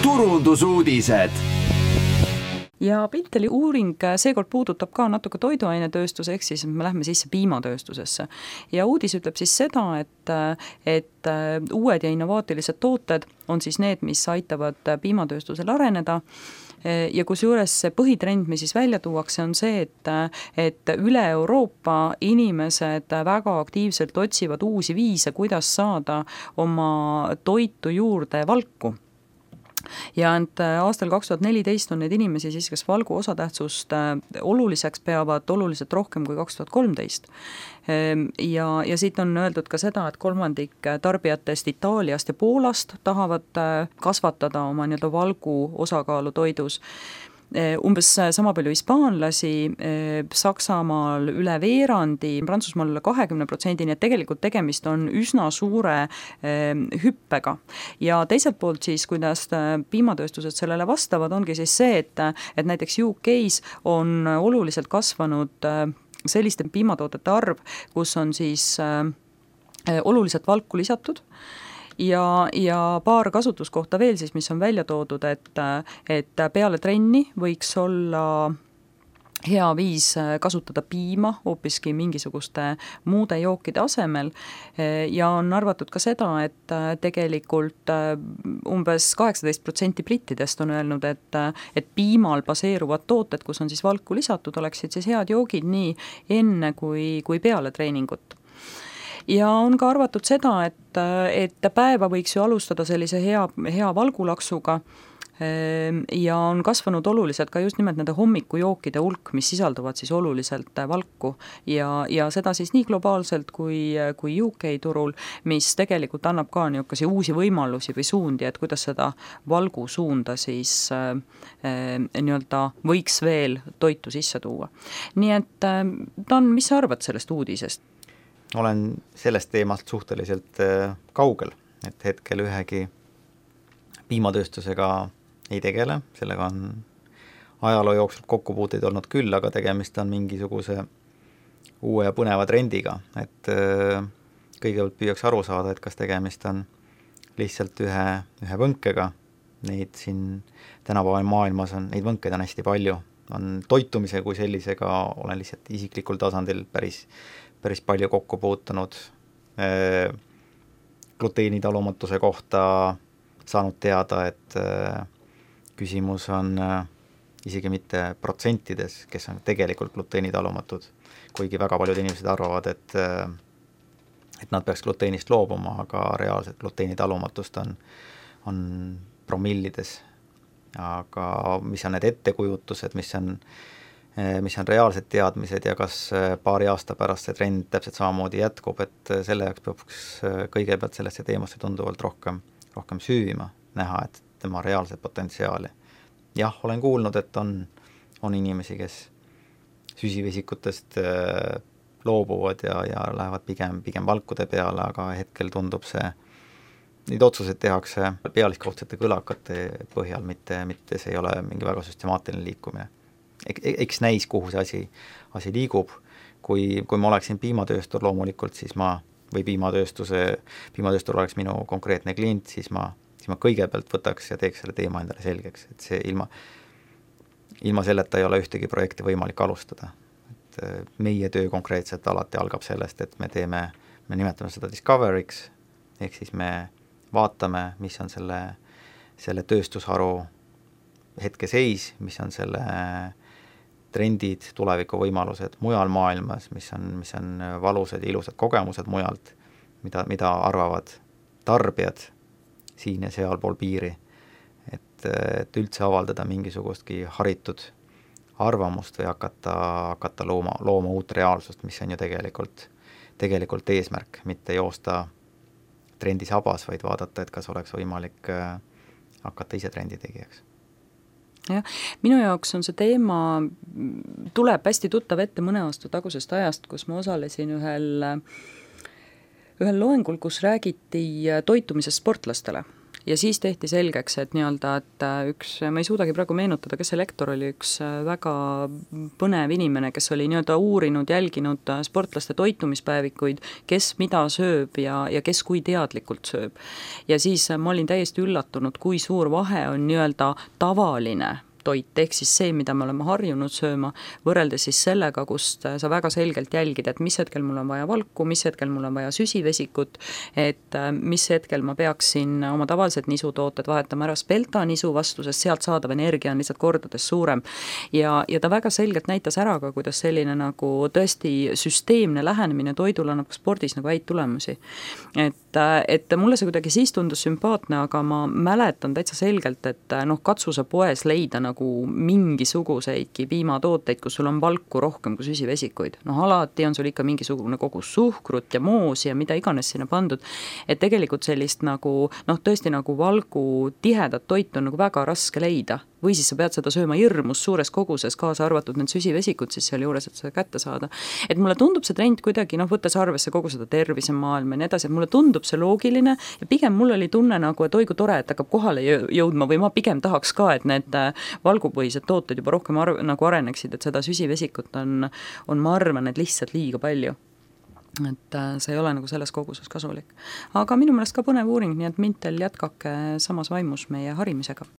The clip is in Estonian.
turundusuudised. Ja Pinteli uuring seekord puudutab ka natuke toiduainetööstuse, ehk siis me lähme sisse piimatööstusesse. Ja uudis ütleb siis seda, et uued ja innovaatilised tooted on siis need, mis aitavad piimatööstusel areneda. Ja kusjuures see põhitrend, mis siis välja tuuakse, on see, et üle Euroopa inimesed väga aktiivselt otsivad uusi viise, kuidas saada oma toitu juurde valku. Ja aastal 2014 on neid inimesi siis, kes valgu osatähtsust oluliseks peavad oluliselt rohkem kui 2013. Ja siit on öeldud ka seda, et 1/3 tarbijatest Itaaliast ja Poolast tahavad kasvatada oma valgu osakaalu toidus. Umbes sama palju hispaanlasi, Saksamaal üle veerandi, Prantsusmaal üle 20%, nii et tegelikult tegemist on üsna suure hüppega. Ja teiselt poolt siis, kuidas piimatööstused sellele vastavad, ongi siis see, et näiteks UK-s on oluliselt kasvanud selliste piimatoodete arv, kus on siis oluliselt valku lisatud. Ja paar kasutuskohta veel siis, mis on välja toodud, et peale trenni võiks olla hea viis kasutada piima hoopiski mingisuguste muude jookide asemel ja on arvatud ka seda, et tegelikult umbes 18% brittidest on öelnud, et piimal baseeruvad tooted, kus on siis valku lisatud, oleksid siis head joogid nii enne kui peale treeningut. Ja on ka arvatud seda, et päeva võiks ju alustada sellise hea valgulaksuga ja on kasvanud oluliselt ka just nimelt nende hommikujookide hulk, mis sisalduvad siis oluliselt valku ja seda siis nii globaalselt kui UK turul, mis tegelikult annab ka niisuguseid uusi võimalusi või suundi, et kuidas seda valgu suunda siis nii-öelda võiks veel toitu sisse tuua. Nii et Dan, mis sa arvad sellest uudisest? Olen sellest teemast suhteliselt kaugel, et hetkel ühegi piimatööstusega ei tegele, sellega on ajaloo jooksul kokkupuuteid olnud küll, aga tegemist on mingisuguse uue ja põneva trendiga, et kõigepealt püüaks aru saada, et kas tegemist on lihtsalt ühe võnkega, neid siin tänapäeval maailmas on, neid võnkeid on hästi palju, on toitumise kui sellisega, olen lihtsalt isiklikul tasandil päris palju kokku puutunud, gluteenitalumatuse kohta saanud teada, et küsimus on isegi mitte protsentides, kes on tegelikult gluteenitalumatud, kuigi väga paljud inimesed arvavad, et nad peaks gluteenist loobuma, aga reaalselt gluteenitalumatust on promillides. Aga mis on need ettekujutused, mis on reaalsed teadmised ja kas paari aasta pärast see trend täpselt samamoodi jätkub, et selle jaoks peaks kõigepealt sellesse teemasse tunduvalt rohkem süüvima, näha, et tema reaalset potentsiaali. Jah, olen kuulnud, et on inimesi, kes süsivesikutest loobuvad ja lähevad pigem valkude peale, aga hetkel tundub neid otsused tehakse pealiskaudsete kõlakate põhjal, mitte see ei ole mingi väga süstemaatiline liikumine. Eks näis, kuhu see asi liigub. Kui ma oleksin piimatööstur loomulikult, siis piimatööstur oleks minu konkreetne klient, siis ma kõigepealt võtaks ja teeks selle teema endale selgeks, et see ilma selleta ei ole ühtegi projekti võimalik alustada. Et meie töö konkreetselt alati algab sellest, et me nimetame seda discovery'ks, ehk siis me vaatame, mis on selle tööstusharu hetkeseis, mis on selle trendid, tulevikuvõimalused mujal maailmas, mis on valusad ja ilusad kogemused mujalt, mida arvavad tarbijad siin ja sealpool piiri, et üldse avaldada mingisugustki haritud arvamust või hakata looma uut reaalsust, mis on ju tegelikult eesmärk, mitte joosta trendi sabas, vaid vaadata, et kas oleks võimalik hakata ise trendi tegijaks. Jah, minu jaoks on see teema, tuleb hästi tuttav ette mõne aasta tagusest ajast, kus ma osalesin ühel loengul, kus räägiti toitumisest sportlastele, ja siis tehti selgeks, et nii-öelda, et üks, ma ei suudagi praegu meenutada, kes see lektor oli, üks väga põnev inimene, kes oli nii-öelda uurinud, jälginud sportlaste toitumispäevikuid, kes mida sööb ja kes kui teadlikult sööb. Ja siis ma olin täiesti üllatunud, kui suur vahe on nii-öelda tavaline toit, ehk siis see, mida me oleme harjunud sööma, võrreldes siis sellega, kust sa väga selgelt jälgid, et mis hetkel mul on vaja valku, mis hetkel mul on vaja süsivesikut, et mis hetkel ma peaksin oma tavalised nisutooted vahetama ära spelta nisu vastu, sest sealt saadav energia on lihtsalt kordades suurem. Ja ta väga selgelt näitas ära ka, kuidas selline nagu tõesti süsteemne lähenemine toidule annab spordis nagu häid tulemusi. Et mulle see kuidagi siis tundus sümpaatne, aga ma mäletan täitsa selgelt, et katsu sa poes leida nagu mingisuguseidki piimatooteid, kus sul on valku rohkem kui süsivesikuid. Alati on sul ikka mingisugune kogus suhkrut ja moosi ja mida iganes sinna pandud, et tegelikult sellist nagu, tõesti nagu valgu tihedat toitu on nagu väga raske leida. Või siis sa pead seda sööma hirmus suures koguses, kaasa arvatud need süsivesikud siis seal juures, et seda kätte saada. Et mulle tundub see trend kuidagi, võttes arvesse kogu seda tervisemaailma ja nii edasi, et mulle tundub see loogiline ja pigem mul oli tunne nagu, et oi kui tore, et hakkab kohale jõudma või ma pigem tahaks ka, et need valgupõhised tooted juba rohkem nagu areneksid, et seda süsivesikut on, ma arvan, et lihtsalt liiga palju. Et see ei ole nagu selles koguses kasulik. Aga minu meelest ka põnev uuring, nii et Mintel jätkake samas vaimus meie harimisega.